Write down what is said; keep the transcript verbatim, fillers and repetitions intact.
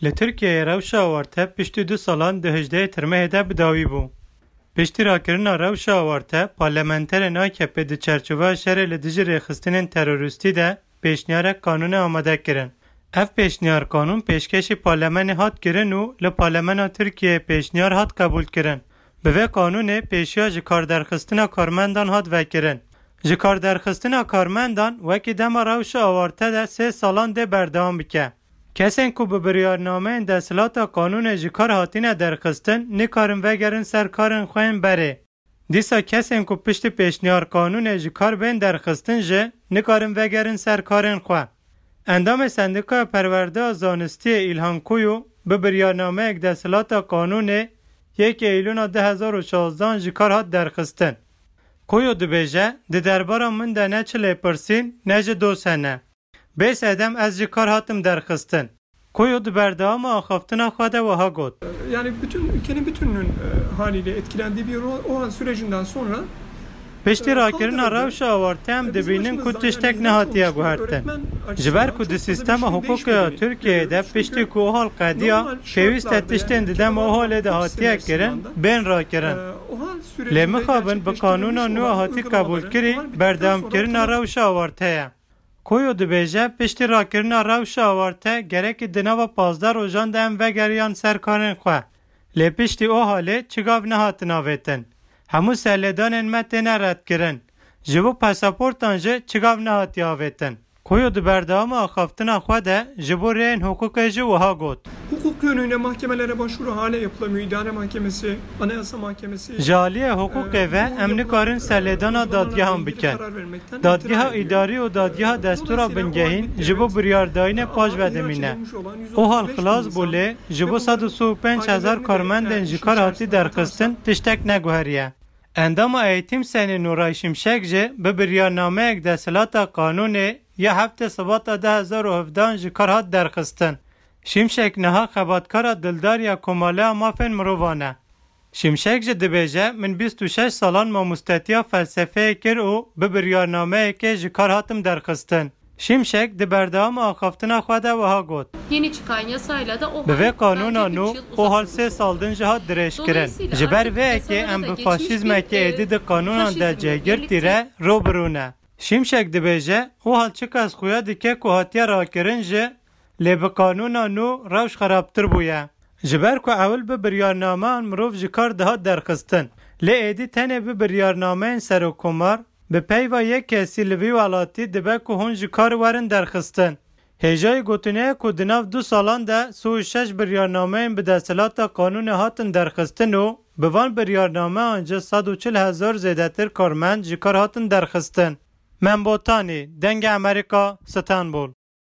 Li Tirkiyeyê rewşa awarte piştî du salan di hejdehê Tirmehê de bi dawî bû. Piştî rakirina rewşa awarte, parlamenterên A K P di çerçoveya şerê li dijî rêxistinên terorîstî de pêşniyarek qanûnê amade kirin. Ev pêşniyar qanûn pêşkêşî parlamenê hat kirin û li Parlamena Tirkiyeyê pêşniyar hat qebûlkirin. Bi vê qanûnê pêşiya ji kar derxistina karmendan hat vekirin. Ji kar derxistina karmendan wekî dema rewşa awarte de sê salan dê berdewam bike. Kesên ku bi biryarnameyên desthilata qanûnê ji kar hatine derxistin, nikarin vegerin ser karên xwe yên berê. Dîsa kesên ku piştî pêşniyar qanûnê ji kar bên derxistin jî nikarin vegerin ser karên xwe. Endamê Sendîkaya Perwerdeya Zanistiyê Îlhan Kuyu bi biryarnameyek desthilata qanûnê yekê Eylûna du hezar û şazdehan ji kar hat derxistin. Kuyu dibêje, di derbara min de ne çi lêpirsîn, ne jî doz hene. Bê sedem ez ji kar hatim derxistin. Kuyu di berdewama axaftina xwe de wiha got. Yani bütün ülkenin bütününün e, haliyle etkilendiği bir o, o hal sürecinden sonra Piştî rakirina rewşa awarte em dibînin ku tiştek nehatiye guhertin. Ji ber ku di sîstema hiqûqê ya Tirkiyeyê de piştî ku OHAL qediya, pêwîst e tiştên di dema OHALê de hatiye kirin, bên rakirin. Lê mixabin bi qanûna nû a hatî qebûlkirî, berdewamkirina rewşa awarte ye. Kuyu dibêje, piştî rakirina rewşa awarte gerekî di nava pazdeh rojan de em vegeriyan ser karên xwe. Lê piştî OHALê çi gav nehatin avêtin. Hemû serlêdanên me têne redkirin. Ji bo pasaportan jî çi gav nehatiye avêtin. Kuyu di berdewama axaftina xwe de ji bo rêyên hiqûqê jî wiha got. Hukuk yönüyle mahkemelere başvuru hala yapılamıyor. İdare Mahkemesi, Anayasa Mahkemesi. Ji aliyê hiqûqê ve em nikarin serlêdana dadgehan bikin. Dadgeha îdarî û dadgeha destûra bingehîn ji bo biryardayînê paş ve dimîne. OHAL xilas bû lê ji bo sed û sî û pênc hezar karmendên ji kar hatî derxistin tiştek neguheriye. Endama Eğitim Senî Nuray Şimşek jî bi biryarnameyek desthilata qanûnê ya heftê Sibata du hezar û hevdehan ji kar hat derxistin. Şimşek niha xebatkara dildar ya Komaleya Mafên Mirovan e. Şimşek jî dibêje, min bîst û şeş salan mamostetiya felsefeyê kir û bi biryarnameyekê ji kar hatim derxistin. Şimşek di berdewama axaftina xwe de wiha got. Yeni çıkan yasayla da OHAL Bi vê qanûna nû OHAL sê sal din jî hat dirêjkirin. Ji ber vê yekê em bi faşîzmekê êdî di qanûnan de cêgirtî re rû bi rû ne. Şimşek dibêje, OHAL çiqas xuya dike ku hatiye rakirin jî, lê bi qanûna nû rewş xerabtir bûye. Ji ber ku ewil bi biryarnameyan mirov ji kar dihat derxistin. Lê êdî tenê bi biryarnameyên serokkomar, bi peyva yek kesî li vî welatî dibe ku hûn ji kar werin derxistin. Hêjayî gotinê ye ku di nav du salan de sî û şeş biryarnameyên bi desthilata qanûnê hatin derxistin û bi van biryarnameyan jî sed û çil hezar zêdetir karmend ji kar hatin derxistin. Mem Botanî, Dengê Amerîka, Stenbol.